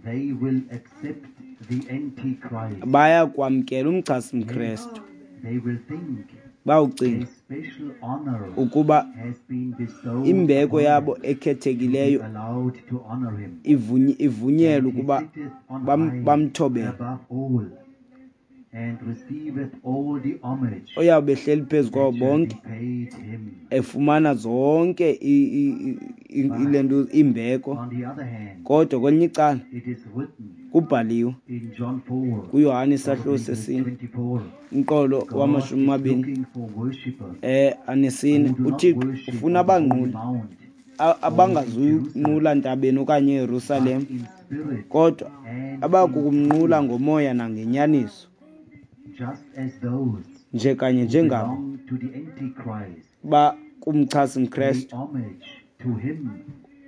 they will accept the Antichrist. baya kwamkela umchasi Yes, mKrestu. they will think Bawucinga a special honor ukuba has been bestowed imbeko upon yabo them to be ekhethekileyo allowed to honor him. ivunyelwe And he ukuba sitteth on high bamthobele. above all, and receiveth all the homage Oyawube ehleli phezu kwabo that shall be bonke paid him. efumana zonke ile But nto imbeko. on the other hand, Kodwa kwelinye icala it is written kubhaliwe in John 4, kuYohane isahluko probably verse sesine 24, umqolo God wamashumi is amabini looking for worshippers anesine, who do not uThixo worship ufuna on the holy abanquli mount or in abangazuyunqula Jerusalem, ntabeni okanye but eYerusalem, in spirit kodwa and in abakukumnqula truth, ngomoya nangenyaniso, just as those nje kanye who njengabo belong to the Antichrist bakumchasi pay mKrestu homage to him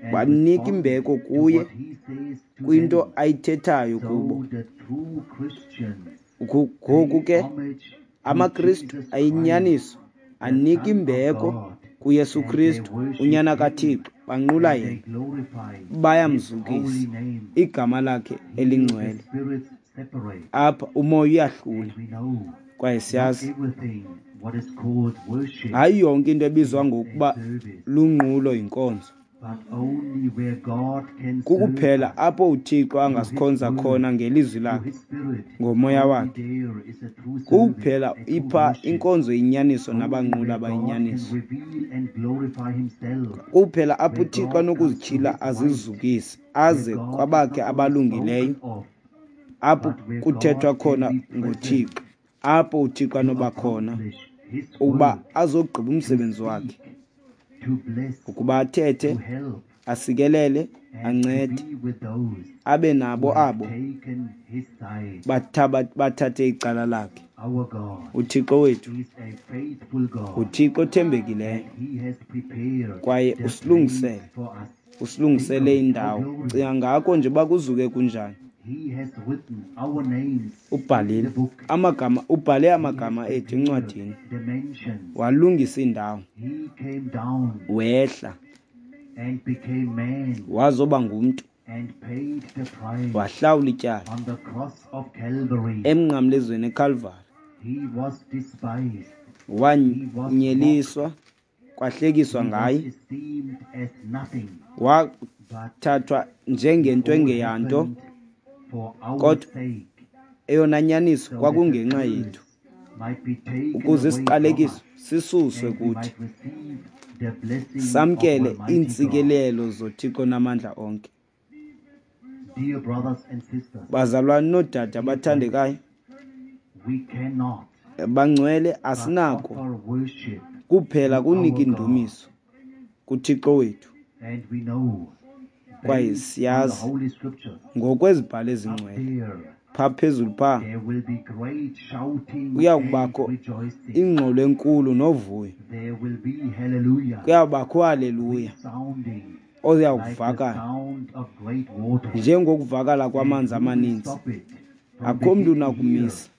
and banika respond imbeko to kuye what he says to kwinto them. ayithethayo kubo. So the true Christians Ngoku pay ke homage to amaKristu Jesus Christ, ayinyaniso the Anika Son of imbeko God, kuYesu and they Kristu, worship unyana him, kaThixo, banqula and they yena, glorify his bayamzukisa holy name. igama lakhe Here the elingcwele. spirits separate, Apha umoya uyahlula, and we know kwaye not siyazi everything what is called worship hayi yonke into ebizwa is a ngokuba service, lunqulo yinkonzo. but only where God can serve Kukuphela us apho uThixo through his angasikhonza word, khona ngelizwi through lakhe, his spirit, ngomoya only wakhe. there is a true service, Kuphela a true ipha worship. inkonzo yenyaniso Only nabanquli where God can abayinyaniso. reveal and glorify himself, Kuphela apho where uThixo God comes through anokuzityhila his light, azizukise, where aze God is kwabakhe not only abalungileyo, spoken of, apho but where kuthethwa God can khona be present ngoThixo, apho uThixo to anoba khona accomplish his ukuba work, azogqiba to umsebenzi wakhe, speak, to bless, ukuba athethe, to help, asikelele, and to ancede, be with those abe who nabo have abo taken his side. bathathe icala lakhe. Our God uThixo wethu is a faithful God, nguThixo othembekileyo, and he has prepared kwaye the place usilungisele, for us. Think of usilungisele it, how indawo. glorious. Cinga ngako nje uba kuzuke kunjani. He has written our names in the Ubhalile book. amagama, ubhale He has amagama ethu prepared encwadini, the mansions. walungisa indawo, He came down wehla and became man wazoba ngumntu, and paid the price wahlawula ityala on the cross of Calvary. emnqamlezweni eKalvari. He was despised. He was mocked. Wanyeliswa, kwahlekiswa He was ngaye, esteemed as nothing. But wathathwa it njengento all engeyanto, happened for our kodwa sake, eyona nyaniso so that the kwakungenxa curse yethu, might be taken ukuze away from isiqalekiso us sisuswe and we kuthi, might receive the blessing of samkele Almighty God. iintsikelelo zoThixo namandla onke. Dear brothers and sisters, Bazalwane noodade dear friends, abathandekayo, we cannot bangcwele, but asinako offer worship kuphela to kunika our God. indumiso kuThixo wethu, And we know, kwaye based on the siyazi Holy Scriptures, ngokwezibhalo up ezingcwele, there phaa phezulu phaa there will be great shouting kuya and kubakho rejoicing. ingxolo enkulu novuyo, There will be hallelujah kuyawubakho haleluya resounding oya like the kuvakala sound of great waters. njengokuvakala And kwamanzi who will amaninzi. stop it from Akho mntu beginning here? unakumisa.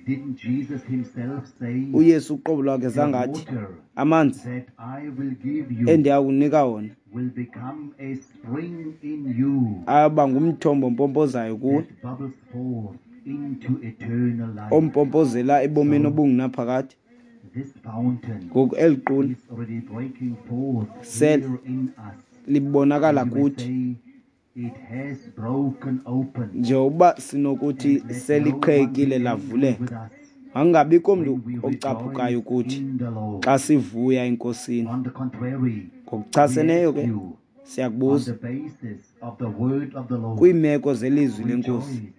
Didn't Jesus himself say, uYesu uqobo lwakhe The zangathi water amanzi that I will give you endiya kunika wona will become a spring in you aba ngumthombo ompompozayo kuwe, that bubbles forth into eternal life? ompompozela ebomini So obungunaphakade. this fountain Ngoku eli qula is already breaking forth sel here in us. libonakala And you may kuthi, say, it has broken open. njengokuba sinokuthi And let no one be seliqhekile angry lavuleka, with us makungabikho mntu when we ocaphukayo rejoice kuthi in the Lord. xa sivuya eNkosini. On the contrary, we Ngokuchaseneyo ask ke you, on siyakubuza the basis of the word of the Lord, kwiimeko zelizwi leNkosi, rejoice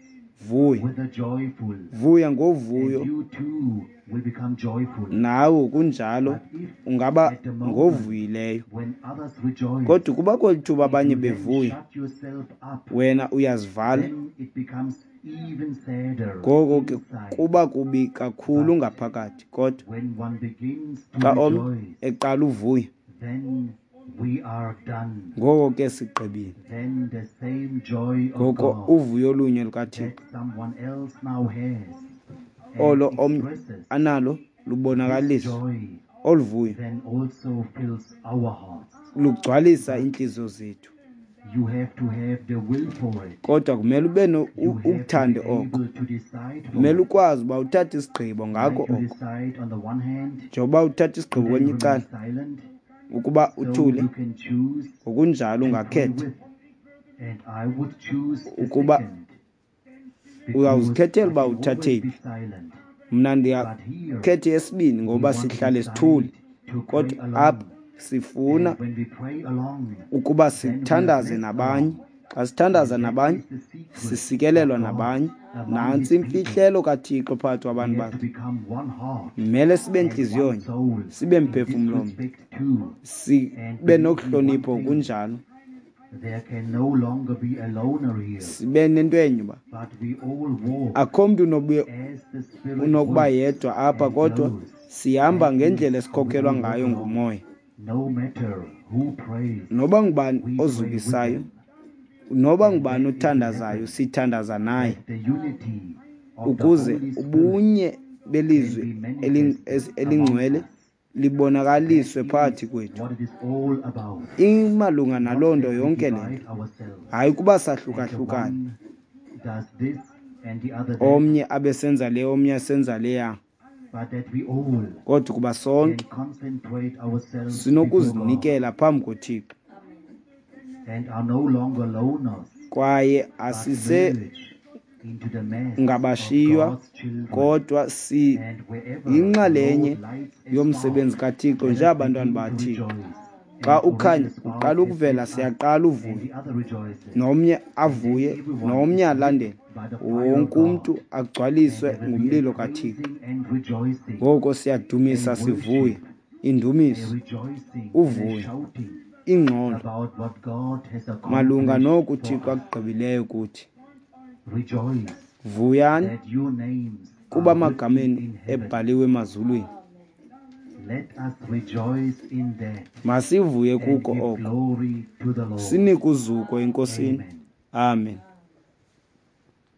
vuya, with the joyful, vuya and ngovuyo, you too will become joyful. nawe kunjalo But if ungaba at the moment ngovuyileyo. when others rejoice, Kodwa ukuba kweli thuba if abanye you then bevuya, shut yourself up, wena uyazivala, then it becomes even sadder ngoko ke inside. kuba kubi kakhulu But ngaphakathi. Kodwa when one begins to xa omnye rejoice, eqala uvuya, then we are done. ngoko ke sigqibile. Then the same joy of Ngoko God uvuyo olunye lukaThixo that someone else now has and olo omnye expresses, analo this lubonakaliswa, joy olu vuyo then also fills our hearts. lugcwalisa But iintliziyo zethu. you have to have the will for it. Kodwa kumele ube You have to be ukuthande oko, able to decide for kumele it. ukwazi uba uthathe isigqibo ngako Like you oko. decide on the one hand Njengoba uthatha to isigqibo then kwelinye remain icala silent, ukuba so uthule, you can choose ngokunjalo to pray ungakhetha with. And I would choose the ukuba second, because uyawuzikhethela I uba can uthathe always be phi. silent. Mna But here ndiyakhetha eyesibini we ngoba want to sihlale decide sithule, to pray kodwa along. apha sifuna And when we pray along, ukuba then we are sithandaze blessed nabanye. along. Xa sithandaza And that nabanye, is the secret of sisikelelwa God nabanye. among Nantsi his people. imfihlelo kaThixo phakathi kwabantu We have to bakhe. become one heart Kumele sibe and one ntliziyonye, soul sibe in this mphefumlo mnye, respect too. sibe And believe me one nokuhlonipho thing, kunjalo, there can no longer be a loner here, sibe nento enye uba but we all walk akho mntu as the Spirit unokuba works yedwa apha, and kodwa flows. sihamba That is ngendlela how we esikhokelwa all walk ngayo along. ngumoya. No matter who prays, Noba ngubani we pray with ozukisayo, them. noba And ngubani that is the othandazayo, heaven, sithandaza naye, that the unity of the ukuze Holy Spirit ubunye can belizwi be manifested among elingcwele us. libonakaliswe That phakathi is kwethu. what it is all about. Imalunga Not naloo nto that we yonke le divide nto, ourselves hayi kuba and the sahlukahlukane, one does this and the other that, omnye abe senza le, omnye asenza leya, but that we all kodwa ukuba can sonke concentrate ourselves before God sinokuzinikela phambi koThixo and are no longer loners, kwaye but asise merge into the mass of ngabashiywa God's children. kodwa And wherever the siyinxalenye Lord lights a yomsebenzi spark, kaThixo let us njengabantwana begin to bakaThixo. rejoice. Xa And already ukhanya the spark uqala has ukuvela lit up, siyaqala and uvuya, the other rejoices. nomnye And then avuye, everyone nomnye is lit alandele, by the fire of wonke umntu God. And agcwaliswe there will be a ngumlilo kaThixo. praising and rejoicing, Ngoko siyadumisa a sivuye, worship, a indumiso, rejoicing and a uvuyo, shouting ingxolo about what God has malunga accomplished noku for uThixo us. akugqibileyo kuthi. Rejoice Vuyani that your names kuba are written amagama enu in heaven. ebhaliwe emazulwini. Let us rejoice in that Masivuye and kuko give oko, glory to the Lord. sinike uzuko eNkosini. Amen. Amen.